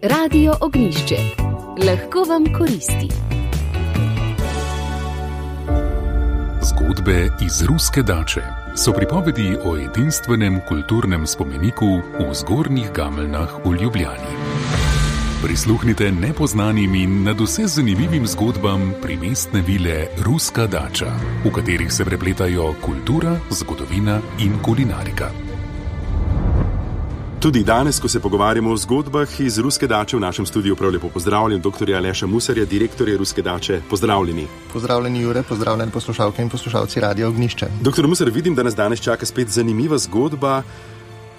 Radio Ognjišče. Lahko vam koristi. Zgodbe iz Ruske dače so pripovedi o edinstvenem kulturnem spomeniku v Zgornjih Gameljnah v Ljubljani. Prisluhnite nepoznanim in nadvse zanimivim zgodbam primestne vile Ruska dača, v katerih se prepletajo kultura, zgodovina in kulinarika. Tudi danes, ko se pogovarjamo o zgodbah iz Ruske dače, v našem studiu prav lepo pozdravljen dr. Aleša Musarja, direktorja Ruske dače. Pozdravljeni. Pozdravljeni, Jure, pozdravljeni poslušalke in poslušalci Radia Ognjišče. Dr. Musar, vidim, da nas danes čaka spet zanimiva zgodba.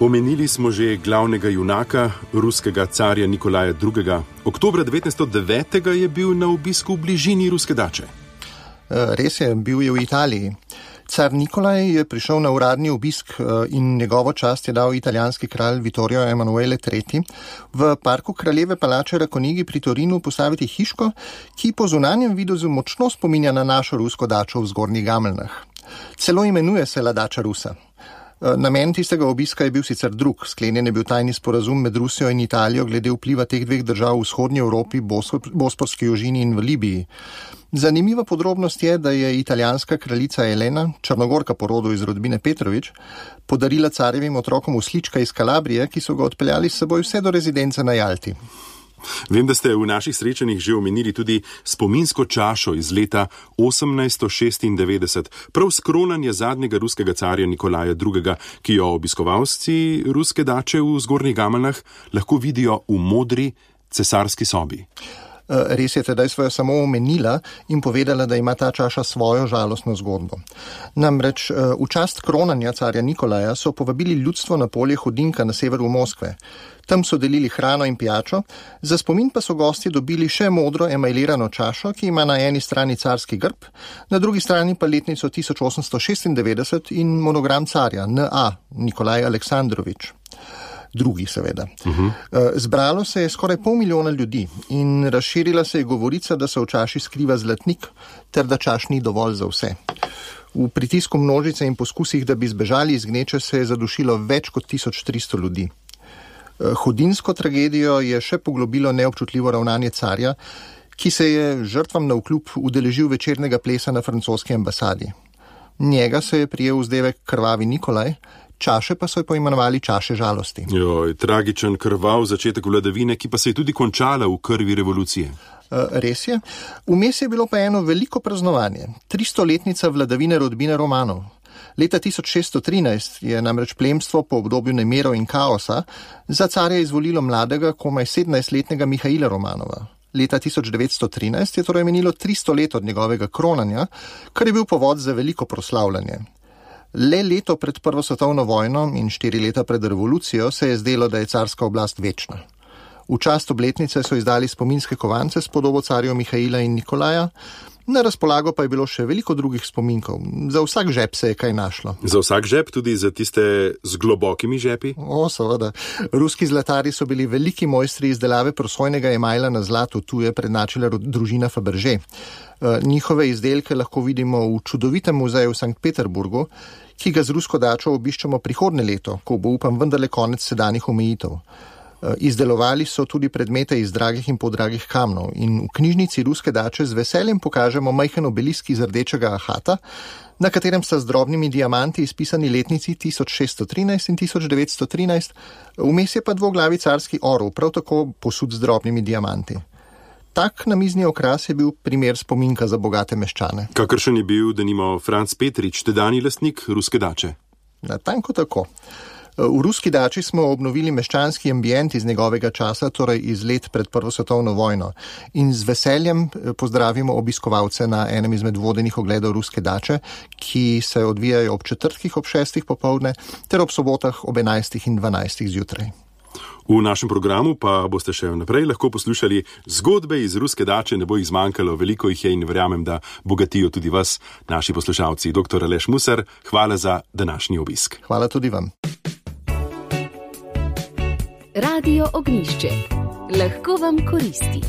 Omenili smo že glavnega junaka, ruskega carja Nikolaja II. Oktobra 1909 je bil na obisku v bližini Ruske dače. Res je, bil je v Italiji. Car Nikolaj je prišel na uradni obisk in njegovo čast je dal italijanski kralj Vittorio Emanuele III. v parku Kraljeve palače Rakonigi pri Torinu postaviti hiško, ki po zunanjem videzu močno spominja na našo rusko dačo v Zgornjih Gameljnah. Celo imenuje se La Dača Rusa. Namen tistega obiska je bil sicer drug. Sklenjen je bil tajni sporazum med Rusijo in Italijo glede vpliva teh dveh držav v vzhodnji Evropi, Bosporski ožini in v Libiji. Zanimiva podrobnost je, da je italijanska kraljica Elena, Črnogorka po rodu iz rodbine Petrovič, podarila carjevim otrokom uslička iz Kalabrije, ki so ga odpeljali s seboj vse do rezidence na Jalti. Vem, da ste v naših srečanjih že omenili tudi spominsko čašo iz leta 1896, prav s kronanja zadnjega ruskega carja Nikolaja II., ki jo obiskovalci Ruske dače v Zgornjih Gameljnah lahko vidijo v modri cesarski sobi. Res je, tedaj svojo samo omenila in povedala, da ima ta čaša svojo žalostno zgodbo. Namreč v čast kronanja carja Nikolaja so povabili ljudstvo na polje Hodinka na severu Moskve. Tam so delili hrano in pijačo, za spomin pa so gostje dobili še modro emajlirano čašo, ki ima na eni strani carski grb, na drugi strani pa letnico 1896 in monogram carja N.A. Nikolaj Aleksandrovič. Drugi, seveda. Zbralo se je skoraj 500 000 ljudi in razširila se je govorica, da se v čaši skriva zlatnik, ter da čaš ni dovolj za vse. V pritisku množice in poskusih, da bi zbežali iz gneče, se je zadušilo več kot 1300 ljudi. Hodinsko tragedijo je še poglobilo neobčutljivo ravnanje carja, ki se je žrtvam navkljub udeležil večernega plesa na francoski ambasadi. Njega se je prijel vzdevek Krvavi Nikolaj, čaše pa so jo poimenovali čaše žalosti. Tragičen, krvav začetek vladavine, ki pa se je tudi končala v krvi revolucije. Res je. Vmes je bilo pa eno veliko praznovanje. 300-letnica vladavine rodbine Romanov. Leta 1613 je namreč plemstvo po obdobju nemirov in kaosa za carja izvolilo mladega, komaj 17-letnega Mihaila Romanova. Leta 1913 je torej menilo 300 let od njegovega kronanja, kar je bil povod za veliko proslavljanje. Le leto pred Prvo svetovno vojno in 4 leta pred revolucijo se je zdelo, da je carska oblast večna. V čast obletnice so izdali spominske kovance s podobo carjev Mihaila in Nikolaja, na razpolago pa je bilo še veliko drugih spominkov. Za vsak žep se je kaj našlo. Za vsak žep, tudi za tiste z globokimi žepi? Seveda. Ruski zlatari so bili veliki mojstri izdelave prosojnega emajla na zlatu, tu je prednačila družina Fabergé. Njihove izdelke lahko vidimo v čudovitem muzeju v Sankt Peterburgu, ki ga z Rusko dačo obiščemo prihodnje leto, ko bo, upam, vendarle konec sedanjih omejitev. Izdelovali so tudi predmete iz dragih in podragih kamnov in v knjižnici Ruske dače z veseljem pokažemo majhen obelisk iz rdečega ahata, na katerem sta z drobnimi diamanti izpisani letnici 1613 in 1913, vmes je pa dvoglavi carski orel, prav tako posud z drobnimi diamanti. Tak namizni okras je bil primer spominka za bogate meščane. Kakršen je bil, denimo, Franc Petrič, tedajni lastnik Ruske dače? Natanko tako. V Ruski dači smo obnovili meščanski ambient iz njegovega časa, torej iz let pred Prvo svetovno vojno. In z veseljem pozdravimo obiskovalce na enem izmed vodenih ogledov Ruske dače, ki se odvijajo ob četrtkih ob 6. popoldne ter ob sobotah ob 11. in 12. zjutraj. V našem programu pa boste še naprej lahko poslušali zgodbe iz Ruske dače, ne bo jih zmanjkalo, veliko jih je in verjamem, da bogatijo tudi vas, naši poslušalci. Dr. Aleš Musar, hvala za današnji obisk. Hvala tudi vam. Radio Ognjišče. Lahko vam koristi.